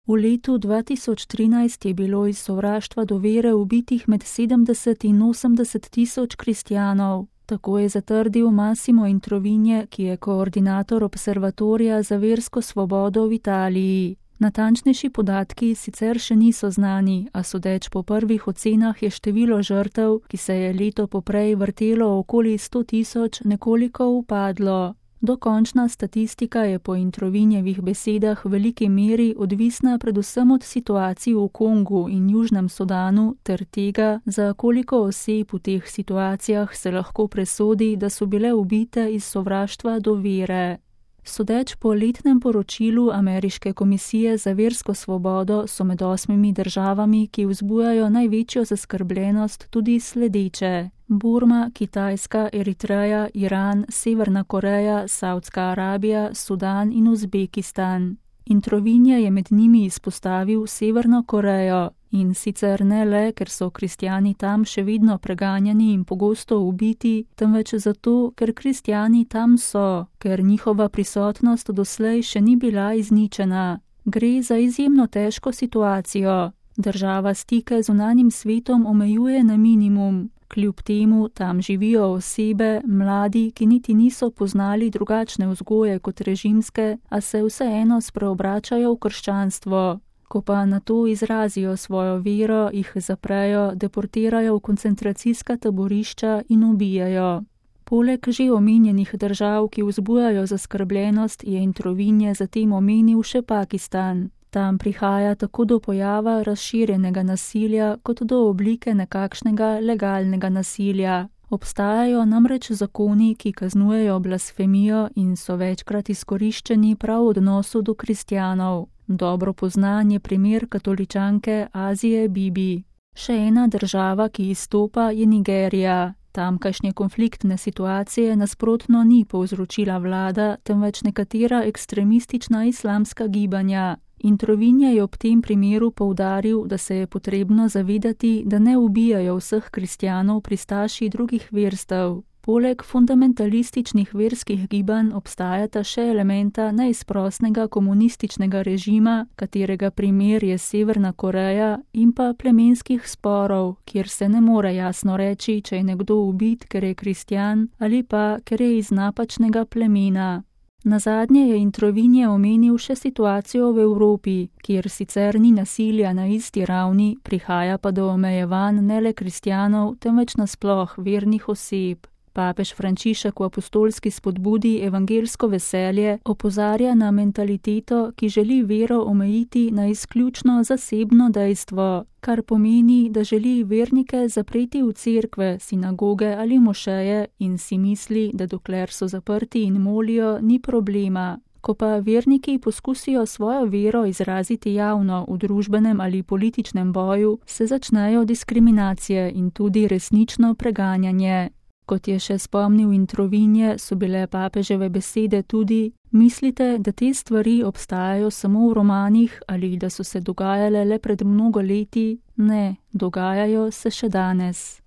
V letu 2013 je bilo iz sovraštva do vere ubitih med 70 in 80 tisoč kristjanov. Tako je zatrdil Massimo Introvigne, ki je koordinator Observatorija za versko svobodo v Italiji. Natančnejši podatki sicer še niso znani, a sodeč po prvih ocenah je število žrtev, ki se je leto poprej vrtelo okoli 100 tisoč, nekoliko upadlo. Dokončna statistika je po Introvinjevih besedah v veliki meri odvisna predvsem od situacij v Kongu in Južnem Sudanu ter tega, za koliko oseb v teh situacijah se lahko presodi, da so bile ubite iz sovraštva do vere. Sodeč po letnem poročilu Ameriške komisije za versko svobodo so med 8 državami, ki vzbujajo največjo zaskrbljenost, tudi sledeče: Burma, Kitajska, Eritreja, Iran, Severna Koreja, Saudska Arabija, Sudan in Uzbekistan. Introvigne je med njimi izpostavil Severno Korejo, in sicer ne le, ker so kristjani tam še vedno preganjani in pogosto ubiti, temveč zato, ker kristjani tam so, ker njihova prisotnost doslej še ni bila izničena. Gre za izjemno težko situacijo. Država stike z zunanjim svetom omejuje na minimum. Kljub temu tam živijo osebe, mladi, ki niti niso poznali drugačne vzgoje kot režimske, a se vseeno spreobračajo v krščanstvo. Ko pa na to izrazijo svojo vero, jih zaprejo, deportirajo v koncentracijska taborišča in ubijajo. Poleg že omenjenih držav, ki vzbujajo zaskrbljenost, je Introvigne zatem omenil še Pakistan. Tam prihaja tako do pojava razširjenega nasilja, kot do oblike nekakšnega legalnega nasilja. Obstajajo namreč zakoni, ki kaznujejo blasfemijo in so večkrat izkoriščeni prav v odnosu do kristjanov. Dobro poznan je primer katoličanke Azije Bibi. Še ena država, ki izstopa, je Nigerija. Tamkajšnje konfliktne situacije nasprotno ni povzročila vlada, temveč nekatera ekstremistična islamska gibanja. Introvigne je ob tem primeru poudaril, da se je potrebno zavedati, da ne ubijajo vseh kristjanov pristaši drugih verstev. Poleg fundamentalističnih verskih gibanj obstajata še elementa neizprosnega komunističnega režima, katerega primer je Severna Koreja, in pa plemenskih sporov, kjer se ne more jasno reči, če je nekdo ubit, ker je kristjan, ali pa ker je iz napačnega plemena. Nazadnje je Introvigne omenil še situacijo v Evropi, kjer sicer ni nasilja na isti ravni, prihaja pa do omejevanj ne le kristjanov, temveč nasploh vernih oseb. Papež Frančišek v apostolski spodbudi evangelsko veselje opozarja na mentaliteto, ki želi vero omejiti na izključno zasebno dejstvo, kar pomeni, da želi vernike zapreti v cerkve, sinagoge ali mošeje in si misli, da dokler so zaprti in molijo, ni problema. Ko pa verniki poskusijo svojo vero izraziti javno v družbenem ali političnem boju, se začnejo diskriminacije in tudi resnično preganjanje. Kot je še spomnil Introvigne, so bile papeževe besede tudi: mislite, da te stvari obstajajo samo v romanih ali da so se dogajale le pred mnogo leti? Ne, dogajajo se še danes.